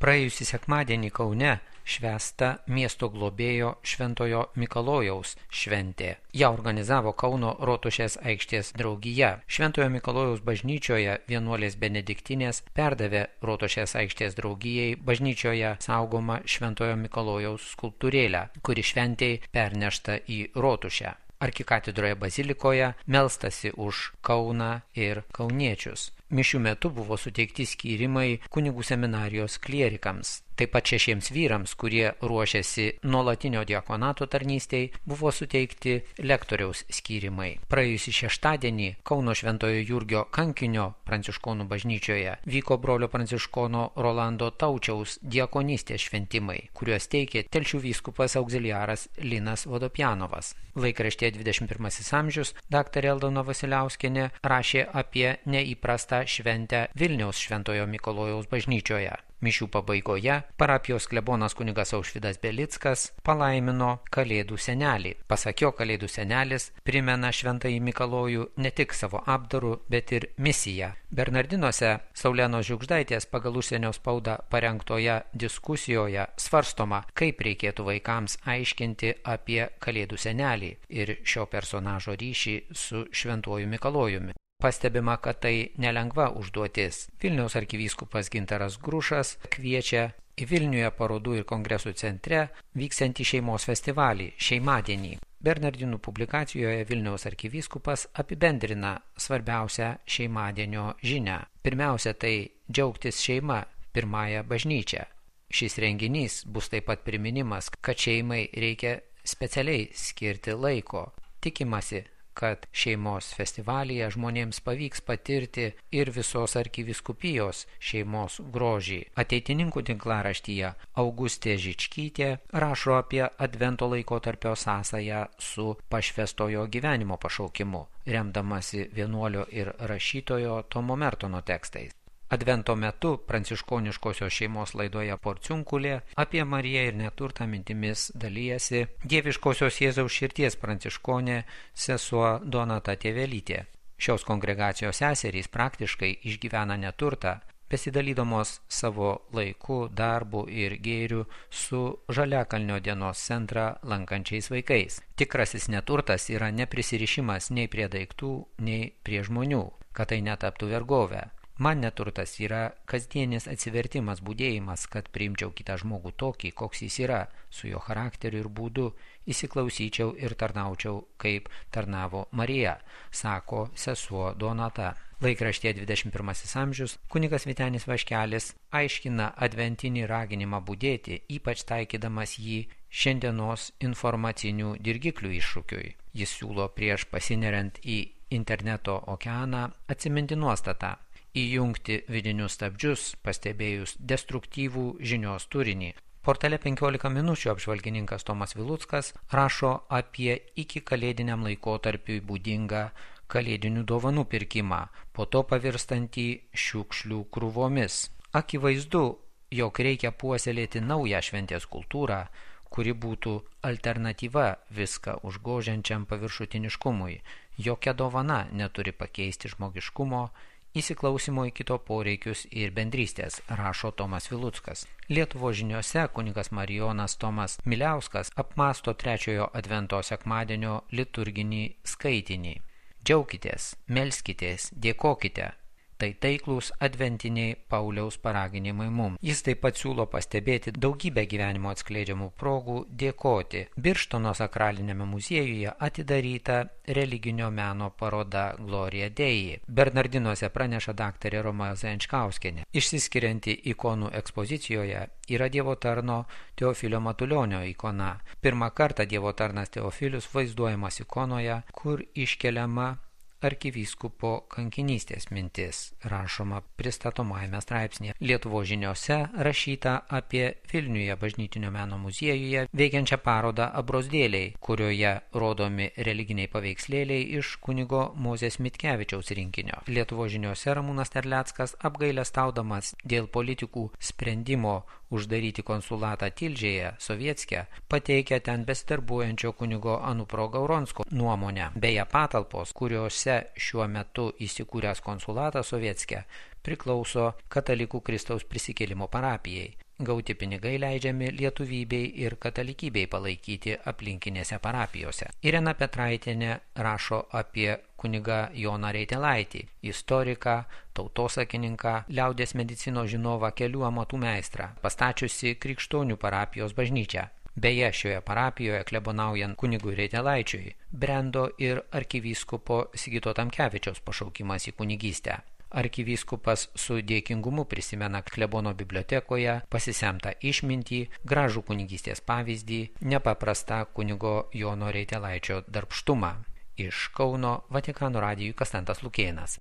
Praėjusį sekmadienį Kaune švęsta miesto globėjo Šventojo Mikalojaus šventė. Ją organizavo Kauno Rotušės aikštės draugija. Šventojo Mikalojaus bažnyčioje vienuolės benediktinės perdavė Rotušės aikštės draugijai bažnyčioje saugomą Šventojo Mikalojaus skulptūrėlę, kuri šventėj pernešta į Rotušę. Arkikatedroje bazilikoje melstasi už Kauną ir kauniečius. Mišių metu buvo suteikti skyrimai kunigų seminarijos klierikams. Taip pat 6 vyrams, kurie ruošiasi nuolatinio diakonato tarnystei, buvo suteikti lektoriaus skyrimai. Praėjusį šeštadienį Kauno Šventojo Jurgio kankinio pranciškonų bažnyčioje vyko brolio pranciškono Rolando Taučiaus diakonystės šventimai, kuriuos teikė Telšių vyskupas auxiliaras Linas Vodopjanovas. Laikraštyje 21 amžius daktarė Aldona Vasiliauskienė rašė apie neįprastą šventę Vilniaus Šventojo Mikalojaus bažnyčioje. Mišių pabaigoje parapijos klebonas kunigas Aušvydas Belickas palaimino Kalėdų senelį. Pasak jo, Kalėdų senelis primena Šventąjį Mikalojų ne tik savo apdaru, bet ir misiją. Bernardinuose Saulenos Žiugždaitės pagal užsienio spaudą parengtoje diskusijoje svarstoma, kaip reikėtų vaikams aiškinti apie Kalėdų senelį ir šio personažo ryšį su Šventuoju Mikalojumi. Pastebima, kad tai nelengva užduotis. Vilniaus arkivyskupas Gintaras Grušas kviečia į Vilniuje parodų ir kongresų centre vyksiantį šeimos festivalį Šeimadienį. Bernardinų publikacijoje Vilniaus arkivyskupas apibendrina svarbiausią Šeimadienio žinią. Pirmiausia, tai džiaugtis šeima, pirmąją bažnyčią. Šis renginys bus taip pat priminimas, kad šeimai reikia specialiai skirti laiko. Tikimasi, kad šeimos festivalyje žmonėms pavyks patirti ir visos arkivyskupijos šeimos grožį. Ateitininkų tinklaraštyje Augustė Žičkytė rašo apie advento laikotarpio sąsają su pašvęstojo gyvenimo pašaukimu, remdamasi vienuolio ir rašytojo Tomo Mertono tekstais. Advento metu pranciškoniškosios šeimos laidoje Porciunkulė apie Mariją ir neturtą mintimis dalyjasi Dieviškosios Jėzaus širties pranciškonė sesuo Donata Tėvelytė. Šios kongregacijos seserys praktiškai išgyvena neturtą, besidalydamos savo laiku, darbu ir gėriu su Žaliakalnio dienos centrą lankančiais vaikais. Tikrasis neturtas yra neprisirišimas nei prie daiktų, nei prie žmonių, kad tai netaptų vergovę. Man neturtas yra kasdienis atsivertimas, budėjimas, kad priimčiau kitą žmogų tokį, koks jis yra, su jo charakteriu ir būdu, įsiklausyčiau ir tarnaučiau, kaip tarnavo Marija, sako sesuo Donata. Laikraštyje 21 amžius kunigas Vytenis Vaškelis aiškina adventinį raginimą budėti, ypač taikydamas jį šiandienos informacinių dirgiklių iššūkiui. Jis siūlo prieš pasineriant į interneto okeaną atsiminti nuostatą. Įjungti vidinius stabdžius, pastebėjus destruktyvų žinios turinį. Portale 15 minučių apžvalgininkas Tomas Viluckas rašo apie iki kalėdiniam laikotarpiui būdingą kalėdinių dovanų pirkimą, po to pavirstantį šiukšlių krūvomis. Akivaizdu, jog reikia puoselėti naują šventės kultūrą, kuri būtų alternatyva viską užgožiančiam paviršutiniškumui. Jokia dovana neturi pakeisti žmogiškumo, įsiklausimo į kito poreikius ir bendrystės, rašo Tomas Viluckas. Lietuvos žiniose kunigas Marijonas Tomas Miliauskas apmąsto trečiojo advento sekmadienio liturginį skaitinį. Džiaukitės, melskitės, dėkokite. Tai taiklūs adventiniai Pauliaus paraginimai mums. Jis taip pat siūlo pastebėti daugybę gyvenimo atskleidžiamų progų dėkoti. Birštono sakralinėme muziejuje atidaryta religinio meno paroda Gloria Dei. Bernardinuose praneša daktarė Roma Zajančkauskienė. Išsiskirianti ikonų ekspozicijoje yra Dievo tarno Teofilio Matulionio ikona. Pirmą kartą Dievo tarnas Teofilius vaizduojamas ikonoje, kur iškeliama arkivyskupo kankinystės mintis, rašoma pristatomajame straipsnėje. Lietuvos žiniose rašyta apie Vilniuje bažnytinio meno muziejuje veikiančią parodą Abrozdėliai, kurioje rodomi religiniai paveikslėliai iš kunigo Mozės Mitkevičiaus rinkinio. Lietuvos žiniose Ramūnas Terleckas apgailestaudamas dėl politikų sprendimo uždaryti konsulatą Tilžėje, Sovietske, pateikia ten besidarbuojančio kunigo Anupro Gauronsko nuomonę. Beje, patalpos, kuriuose šiuo metu įsikūręs konsulatas Sovietske, priklauso Katalikų Kristaus prisikėlimo parapijai. gauti pinigai leidžiami lietuvybei ir katalikybei palaikyti aplinkinėse parapijose. Irena Petraitienė rašo apie kunigą Joną Reitelaitį, istoriką, tautosakininką, liaudies medicinos žinovą, kelių amatų meistrą, pastačiusi Krikštonių parapijos bažnyčią. Beje, šioje parapijoje klebonaujant kunigui Reitelaičiui brendo ir arkivyskupo Sigito Tamkevičiaus pašaukimas į kunigystę. Arkivyskupas su dėkingumu prisimena klebono bibliotekoje pasisemtą išmintį, gražų kunigystės pavyzdį, nepaprastą kunigo Jono Reitelaičio darbštumą. Iš Kauno Vatikano radijui Konstantas Lukėnas.